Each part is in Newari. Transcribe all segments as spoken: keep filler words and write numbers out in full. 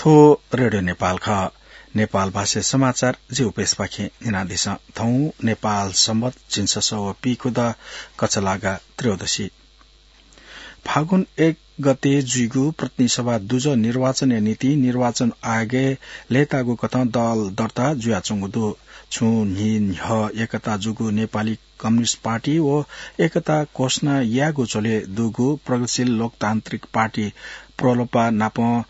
थ्व रेडियो नेपाल खः। नेपाल भाषा समाचार जि उपेशपाखें न्यनादिसँ। थौं नेपाल संवत झिंछसः व पीखुदँ कछलागा त्रयोदशी। फागुन एक गते जुइगु प्रतिनिधि सभा दुजः निर्वाचनया निंतिं निर्वाचन आयोगय् लय्ताःगु कथं दल दर्ता जुयाच्वंगु दु। छुं न्हि न्ह्यः एकता जूगु नेपाली कम्युनिस्ट पार्टी व एकता घोषणा यायेगु झ्वलय् दुगु प्रगतिशील लोकतान्त्रिक पार्टी प्रलोभा नापं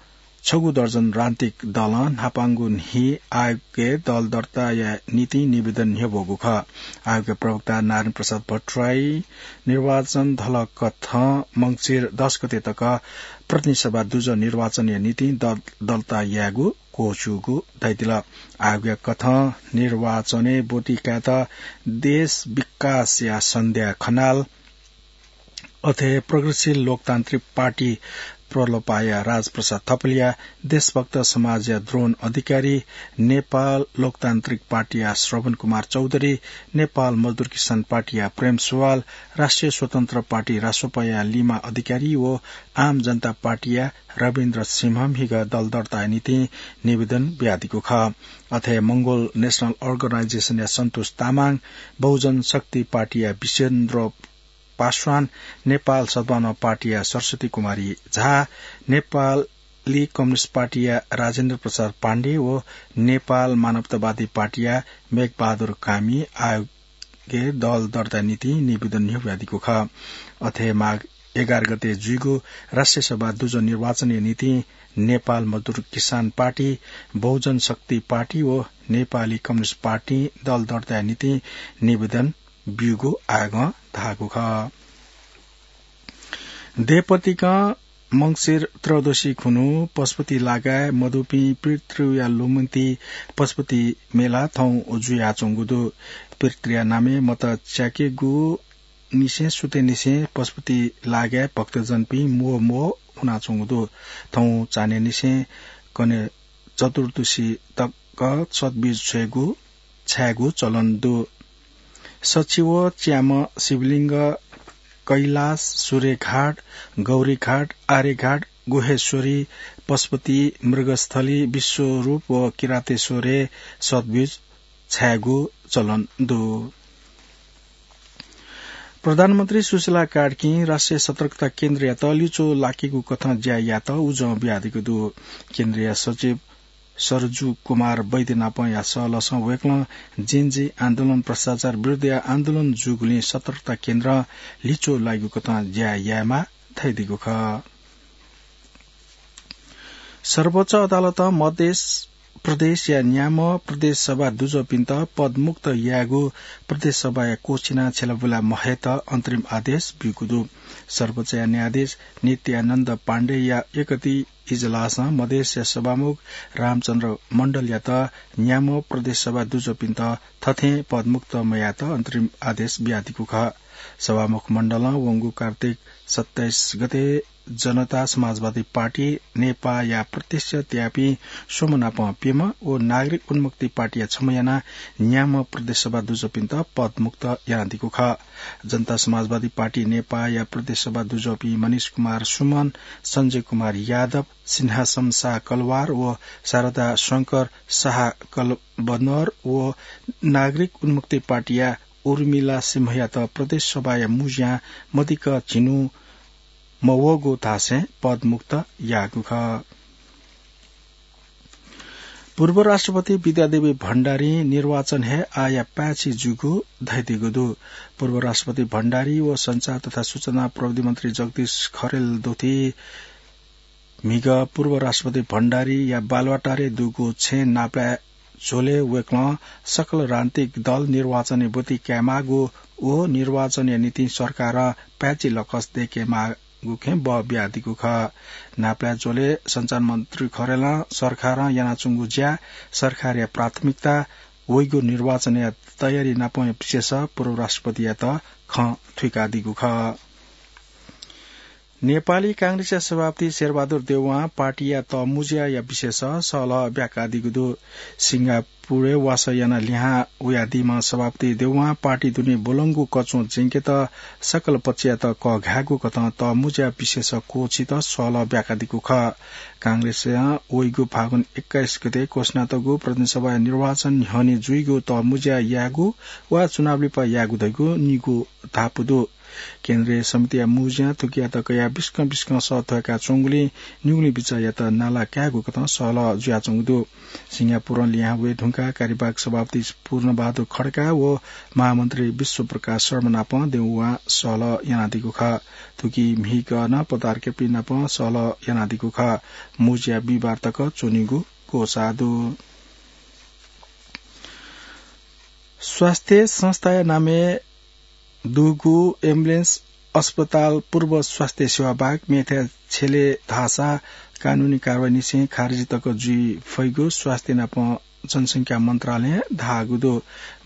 छगू दर्जन राजनीतिक दलं न्हापांगु न्हि आयोगय् दल दर्ताया निंतिं निवेदन न्ह्यब्वःगु खः। आयोगया प्रवक्ता नारायण प्रसाद भट्टराई निर्वाचन धलकथं मंसिर दस गते तक प्रतिनिधि सभा दुजः निर्वाचनया निंतिं दल दर्ता यायेगु क्वःछिउगु धयादिल। आयोगया कथं निर्वाचनय् ब्वति कायेत देश विकासया सन्ध्या खनाल, अथे प्रगतिशील लोकतान्त्रिक पार्टी प्रलोभाया राजप्रसाद थपलिया देशभक्त समाजया द्रोण अधिकारी, नेपाल लोकतान्त्रिक पार्टीया श्रवण कुमार चौधरी, नेपाल मजदुर किसान पार्टीया प्रेम सुवाल, राष्ट्रिय स्वतन्त्र पार्टी रासोपाया लिमा अधिकारी व आम जनता पार्टीया रविन्द्र सिंह म्हिगः दल दर्ताया निंतिं निवेदन बियादीगु खः। अथे मंगोल नेशनल अर्गनाइजेसनया सन्तोष तामाङ, बहुजन शक्ति पार्टीया विश्वेन्द्र पासवान, नेपाल सद्भावना पार्टीया सरस्वती कुमारी झा, नेपाली कम्युनिस्ट पार्टीया राजेन्द्र प्रसाद पाण्डे व नेपाल मानवतावादी पार्टीया मेघबहादुर कामी आयोगय् दल दर्ताया निंतिं निवेदन न्ह्यब्वयादीगु खः। अथे माघ एघार गते जुइगु राष्ट्रिय सभा दुजः निर्वाचनया निंतिं नेपाल मजदुर किसान पार्टी, बहुजन शक्ति पार्टी व नेपाली कम्युनिस्ट पार्टीं दल दर्ताया निंतिं निवेदन ब्यूगु आयोगं धाःगु खः। देय्‌पतिकं मंसिर त्रयोदशी खुन्हु पशुपति लागाय् मदुपिं पितृया लुमन्ति पशुपति मेला थौं जुयाच्वंगु दु। पितृया नामय् मत च्याकेगु निसें सुतेनिसें पशुपति लागाय् भक्तजनपिं म्वः म्वः हुनाच्वंगु दु। थौं चान्हय्‌निसें कन्हय् चतुर्दशी तक सतबीज छ्वयेगु छायेगु चलन दु। सच्छि व च्याम्ह शिवलिङ्ग, कैलाश, सूर्यघाट, गौरीघाट, आर्यघाट, गुह्येश्वरी, पशुपति, मृगस्थली, विश्वरूप व किरातेश्वरय् सतबीज छायेगु चलन दु। प्रधानमन्त्री सुशीला कार्कीं राष्ट्रिय सतर्कता केन्द्रयात लिच्वः लाकेगु कथं ज्या यायेत उजं बियादीगु दु। केन्द्रीय सचिव सरजु कुमार वैद्य नापं या सहलहसं वय्‌कलं Gen Z आन्दोलन, भ्रष्टाचार विरुद्धया आन्दोलन जूगुलिं सतर्कता केन्द्रं लिच्वः लाइगु कथं ज्या यायेमाः धयादीगु खः। सर्वोच्च अदालतं मध्य प्रदेशया न्याम्ह प्रदेश सभा दुजःपिन्त पदमुक्त यायेगु प्रदेश सभाया क्वःछिना छ्यलाबुला महयेत अन्तरिम आदेश ब्यूगु दु। सर्वोच्चया न्यायाधीश नित्यानन्द पाण्डेया एकति इजलासं मधेसया सभामुख रामचन्द्र मण्डलयात न्याम्ह प्रदेश सभा दुजःपिन्त थथें पदमुक्त मयायेत अन्तरिम आदेश बियादीगु खः। सभामुख मण्डलं वंगु कार्तिक सत्ताइस गते जनता समाजवादी पार्टी, नेपाया प्रत्यक्ष त्याःपिं स्वम्ह नाप प्यम्ह व नागरिक उन्मुक्ति पार्टीया छम्ह यानाः न्याम्ह प्रदेश सभा दुजःपिन्त पदमुक्त यानादीगु खः। जनता समाजवादी पार्टी, नेपाया प्रदेश सभा दुजःपिं मनिष कुमार सुमन, सञ्जय कुमार यादव, सिंहासम शाह कलवार व शारदा शंकर शाह कलबनर व नागरिक उन्मुक्ति पार्टीया उर्मिला सिंहयात प्रदेश सभाया मुँज्यां मदिक्क झिन्हु मवःगु धासें पदमुक्त याःगु खः। पूर्व राष्ट्रपति विद्यादेवी भण्डारी निर्वाचन हे आःया पाय्‌छि जूगु धयादीगु दु। पूर्व राष्ट्रपति भण्डारी व सञ्चार तथा सूचना प्रविधि मन्त्री जगदीश खरेल दुथी म्हिगः पूर्व राष्ट्रपति भण्डारीया बालुवाटारय् दुगु छेँ नापलाये झ्वलय् वय्‌कलं सकल राजनीतिक दल निर्वाचनय् ब्वति कायेमाःगु व निर्वाचनया निंतिं सरकारं पाय्‌छि लकस दय्‌केमाःगु खँय् बः बियादीगु खः। नापलाये झ्वलय् सञ्चार मन्त्री खरेलं सरकारं यानाच्वंगु ज्या, सरकारया प्राथमिकता, वइगु निर्वाचनया तयारी नापं विशेष पूर्व राष्ट्रपतियात खँ थुइकादीगु खः। नेपाली कांग्रेसया सभापति शेरबहादुर देउवां पार्टीया तःमुँज्याया विषयस सहलह ब्याकादीगु दु। सिंगापुरय् वासः यानाः लिहां वयादीम्ह सभापति देउवां पार्टी दुने ब्वलंगु कच्वं ज्यंकेत सकल पक्षयात कःघायेगु कथं तःमुँज्या विषयस क्वःछित सहलह ब्याकादीगु खः। कांग्रेसं वइगु फागुन एक्काइस गते घोषणा तःगु प्रतिनिधि सभाया निर्वाचन न्ह्यःने जुइगु तःमुँज्या यायेगु वा चुनाव लिपा यायेगु धइगु निगू धापू दु। केन्द्रीय समितिया मुँज्यां थुकियात कयाः बिस्कं बिस्कं सः थ्वय्‌का च्वंगुलिं निगुलिं बिचाःयात नाला कायेगु कथं सहलह जुयाच्वंगु दु। सिंगापुरं लिहां वये धुंकाः कार्यवाहक सभापति पूर्णबहादुर खड्का व महामन्त्री विश्वप्रकाश शर्मा नाप देउवां सहलह यानादीगु खः। थुकी म्हिगः नं पत्रकारपिं नाप सहलह यानादीगु खः। मुँज्या बिहिबार तक च्वनीगु ग्वसाः दु। स्वास्थ्य संस्थाया नामय् दुगु एम्बुलेन्स अस्पताल पूर्व स्वास्थ्य सेवा बाहेक मेथाय् छ्यले धाःसा कानूनी कारवाहीनिसें खारेजी तक जुइ फइगु स्वास्थ्य नाप जनसंख्या मन्त्रालयं धाःगु दु।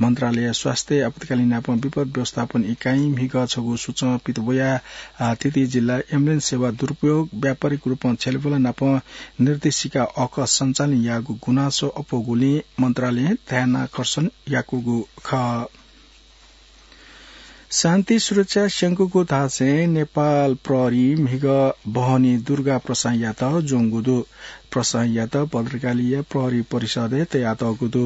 मन्त्रालयया स्वास्थ्य आपतकालीन नाप विपद व्यवस्थापन इकाइं म्हिगः छगू सूचं पित वयाः, आ, थीथी जिल्लाय् एम्बुलेन्स सेवा दुरुपयोग, व्यापारिक रूपं छ्यलेबुला नाप निर्देशिका अःकः सञ्चालन याःगु गुनासो अप्वःगुलिं मन्त्रालयं ध्यानाकर्षण याकूगु खः। शान्ति सुरक्षा स्यंकूगु धासें नेपाल प्रहरीं म्हिगः बहनी दुर्गा प्रसाईंयात ज्वंगु दु। प्रसाईंयात भद्रकालीया प्रहरी परिसरय् तयातःगु दु।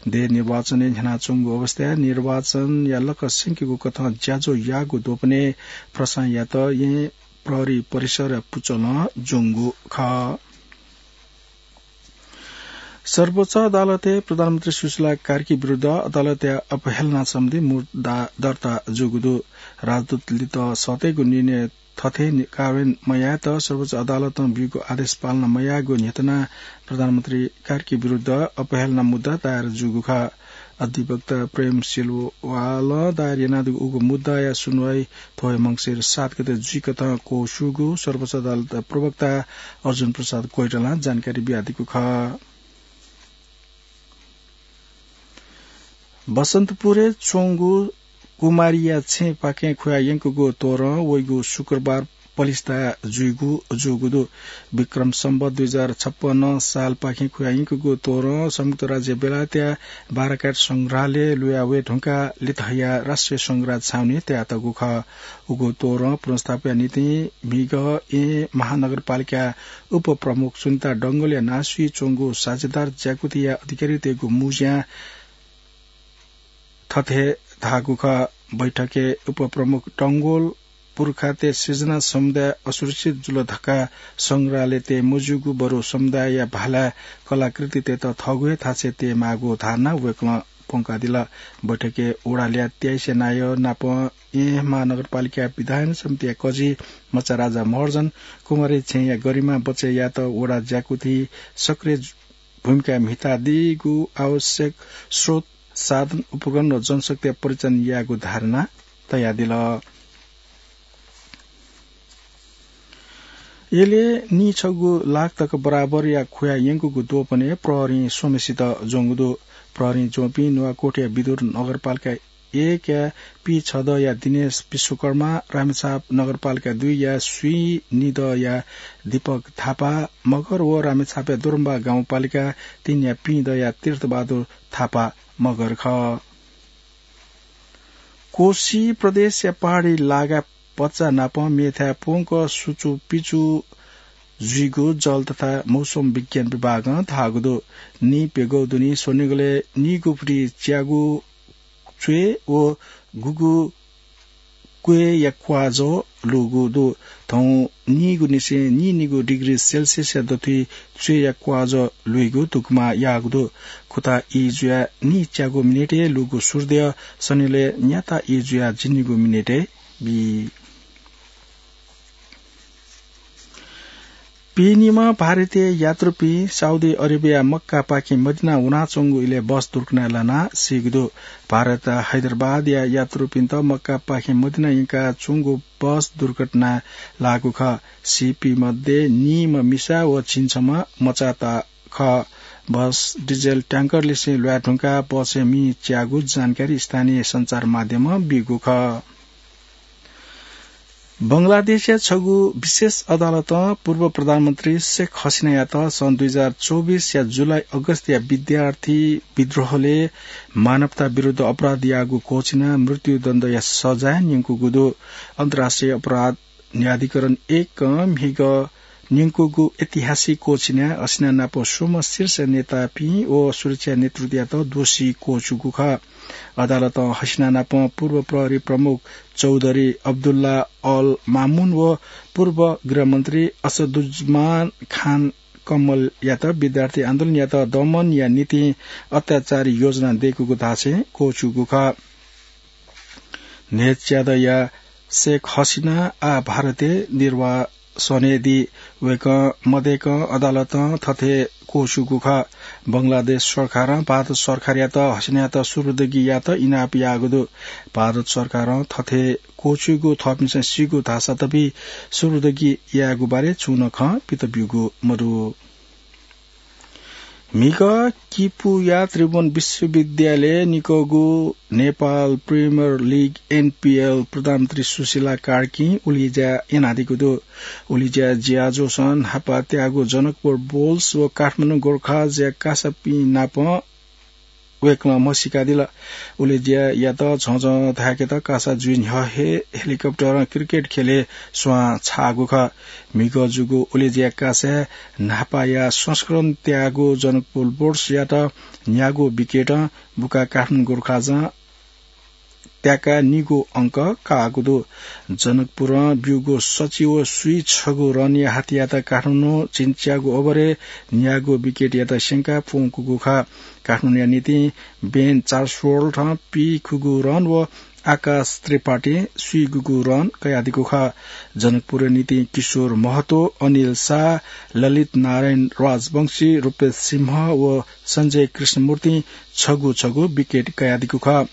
देय् निर्वाचनय् न्ह्यानाच्वंगु अवस्थाय् निर्वाचनया लक्ष्य स्यंकेगु कथं ज्याझ्वः याःगु द्वपनय् प्रसाईंयात येँ प्रहरी परिसरया पुचलं ज्वंगु खः। सर्वोच्च अदालतय् प्रधानमन्त्री सुशीला कार्की विरुद्ध अदालतया अपहेलना सम्बन्धी मुद्दा दर्ता जूगु दु। राजदूतलित सःतेगु निर्णय थथे नि-, कार्यान्वयन मयायेत सर्वोच्च अदालतं ब्यूगु आदेश पालना मयायेगु न्ह्यथनाः प्रधानमन्त्री कार्की विरुद्ध अपहेलना मुद्दा दायर जूगु खः। अधिवक्ता प्रेम सिलवालं दायर यानादीगु उगु मुद्दाया सुनवाई थ्व हे मंसिर सात गते जुइकथं क्वःस्यूगु सर्वोच्च अदालत प्रवक्ता अर्जुन प्रसाद कोइरालां जानकारी बियादीगु खः। बसन्तपुरय् च्वंगु कुमारीया छेँपाखें खुया यंकूगु तोरं वइगु शुक्रबार पलिस्था जुइगु जूगु दु। विक्रम सम्वत दुई हजार छप्पन्न सालपाखें खुया यंकूगु तोरं संयुक्त राज्य बेलायतया बाराकाट संग्रहालय लुया वये धुंकाः लित हयाः राष्ट्रिय संग्रहालय छाउनी तयातःगु खः। उगु तोरं पुनर्स्थापनया निंतिं म्हिगः येँ महानगरपालिका उपप्रमुख सुनिता डंगोलया नां स्वयाच्वंगु साझेदार ज्याकुथिया अधिकारीतय्‌गु मुँज्यां थथे धाःगु खः। बैठकय् उपप्रमुख डंगोल पुर्खातय् सिर्जना समुदाय असुरक्षित जुल धकाः संग्रहालय तये मज्यूगु, बरु समुदायया भालाया कलाकृतितय्‌त थःगु हे थासय् तयेमाःगु धारणा वय्‌कलं प्वंकादिल। बैठकय् वडा ल्याः तेइसया नायः नाप येँ महानगरपालिका विधायन समितिया कजि मचाराजा महर्जन कुमारी छेँया गरिमा बचय् यायेत वडा ज्याकुथिं सक्रिय भूमिका म्हितादीगु, आवश्यक स्रोत, साधन, उपकरण व जनशक्तिया परिचालन यायेगु धारणा तयादिल। यलय् नीछगू लाख तक बराबरया खुया यंकूगु द्वपनय् प्रहरीं स्वम्हेसित ज्वंगु दु। प्रहरीं ज्वंपिं नुवाकोटया विदुर नगरपालिका एकया पीछदँया दिनेश विश्वकर्मा, रामेछाप नगरपालिका दुईया स्वीनिदँया दीपक थापा मगर व रामेछापया दोरम्बा गाउँपालिका तीनया पीदँया तीर्थबहादुर थापा मगर खः। कोशी प्रदेशया पहाडी लागा पच्चा नाप मेथाय् प्वंक सुचुपिचु जुइगु जल तथा मौसम विज्ञान विभागं धाःगु दु। नीप्यघौ दुने स्वनिगलय् नीगू फुति च्यागू च्वय् व गुगु क्वय्‌या क्वाःजः लूगु दु। थौं नीगुनिसें नीनिगू डिग्री सेल्सियसया दथुइ च्वय्‌या क्वाःजः लुइगु धुकुमा याःगु दु। खुता ई जुयाः नीच्यागू मिनेटय् लूगु सूर्यदयः सनिलय् न्याता ई जुयाः झिंनिगू मिनेटय् बी। पीनिम्ह भारतीय यात्रुपिं साउदी अरेबिया मक्कापाखें मदिना वनाच्वंगु इलय् बस दुर्घटनाय् लानाः सीगु दु। भारत हैदराबादया यात्रुपिन्त मक्कापाखें मदिना यंकाच्वंगु बस दुर्घटनाय् लाःगु खः। सीपिं मध्ये नीम्ह मिसा व झिंछम्ह मचात खः। बस डिजेल ट्याङ्करलिसें ल्वाये धुंकाः बसय् मि च्याःगु जानकारी स्थानीय सञ्चार माध्यमं बीगु खः। बंगलादेशया छगू विशेष अदालतं पूर्व प्रधानमन्त्री शेख हसिनायात सन् दुई हजार चौबिसया जुलाई अगस्तया विद्यार्थी विद्रोहले मानवता विरुद्ध अपराध याःगु क्वःछिनाः मृत्युदण्डया सजाय न्यंकूगु दु। अन्तर्राष्ट्रिय अपराध न्यायाधिकरण एकं म्हिगः न्यंकूगु ऐतिहासिक क्वःछिनाय् हसिना नाप स्वम्ह शीर्ष नेतापिं व सुरक्षा नेतृत्वयात दोषी क्वःछूगु खः। अदालतं हसिना नाप पूर्व प्रहरी प्रमुख चौधरी अब्दुल्ला अल मामुन व पूर्व गृहमन्त्री असदुज्जमान खान कम्मलयात विद्यार्थी आन्दोलनयात दमनया निंतिं अत्याचारी योजना दय्कूगु धासें क्वःछूगु खः। न्हय्च्यादँया शेख हसिना आः भारतय् निर्वासनय् दी। वय्कः मदय्कं अदालतं थथे क्वःछूगु खः। बंगलादेश सरकारं भारत सरकारयात हसिनायात सुरुदगी यायेत इनाप याःगु दु। भारत सरकारं थथे क्वःछूगु थःपिन्सं सीगु धाःसा दबी सुरुदगी यायेगु बारे छुं नं खँ पित ब्यूगु मदु। म्हिगः किपूया त्रिभुवन विश्वविद्यालयय् निकःगु नेपाल प्रिमियर लिग, एनपिएल, प्रधानमन्त्री सुशीला कार्कीं उलिज्या यानादीगु दु। उलिज्या ज्याझ्वलय् न्हापा त्याःगु जनकपुर बुल्स व काठमाडौं गोर्खाजया कासापिं नाप वय्कलं म्हसीकादिल। उलिज्यायात झःझः धाय्केत कासा जुइ न्ह्यः हे हेलिकप्टरं क्रिकेट खेलय् स्वां छाःगु खः। म्हिगः जूगु उलिज्या कासाय् न्हापाया संस्करण त्याःगु जनकपुर बुल्सयात न्यागू विकेटं बुकाः काठमाडौं गोर्खाजं त्याकाः निगू अंक काःगु दु। जनकपुरं ब्यूगु सच्छि व स्वीछगू रनया हातियात काठमाडौं झिंच्यागू ओभरय् न्यागू विकेटयात स्यंकाः प्वंकूगु खः। काठमाडौंया निंतिं बेन चार्ल्सवर्थं पीखुगू रन व आकाश त्रिपाठीं स्वीगूगू रन कयादीगु खः। जनकपुरया निंतिं किशोर महतो, अनिल शाह, ललित नारायण राजवंशी, रूपेश सिंह व सञ्जय कृष्णमूर्तिं छगू छगू विकेट कयादीगु खः।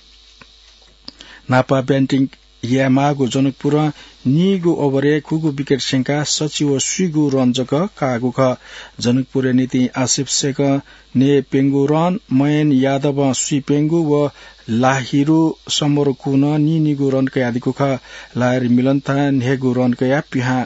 न्हापा ब्याटिङ यायेमाःगु जनकपुरं निगू ओभरय् खुगू विकेट स्यंकाः सच्छि व स्वीगू रन जक काःगु खः। जनकपुरया निंतिं आसिफ शेखं न्हय्प्यंगू रन, मयन यादवं स्वीप्यंगू व लाहिरू समरकुनं नीनिगू रन कयादीगु खः। लाहिरू मिलनथां न्हय्गू रन कयाः पिहां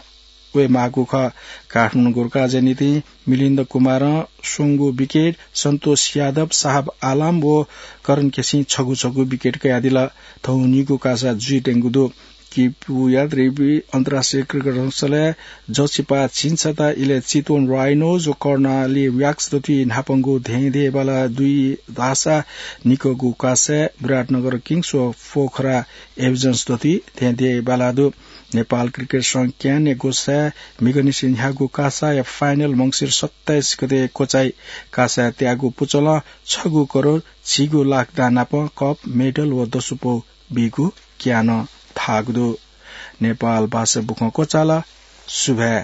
वयेमाःगु खः। काठमाडौं गोर्खाजया निंतिं मिलिन्द कुमारं स्वंगू विकेट, सन्तोष यादव, साहब आलम व करण केसीं छगू छगू विकेट कयादिल। थौं निगू कासा जुइत्यंगु दु। किपूया त्रिभुवन अन्तर्राष्ट्रिय क्रिकेट संस्थानय् जःसिपा झिंछता इलय् चितवन राइनोज व कर्णाली ह्याक्स दथुइ न्हापांगु धेंधेंबाला दुई धाःसा निकःगु कासाय् विराटनगर किङ्स व पोखरा एभिजन्स दथुइ धेंधेंबाला दु। नेपाल क्रिकेट संघ क्यानया ग्वसाय् म्हिगःनिसें न्ह्याःगु कासाया फाइनल मंसिर सत्ताइस गते क्वचाइ। कासाय् त्याःगु पुचलं छगू करोड झिगू लाख दां नाप कप, मेडल व दसुपौ बीगु क्यानं धाःगु दु। नेपाल भाषा बुखँ क्वचाल। सुभाय्।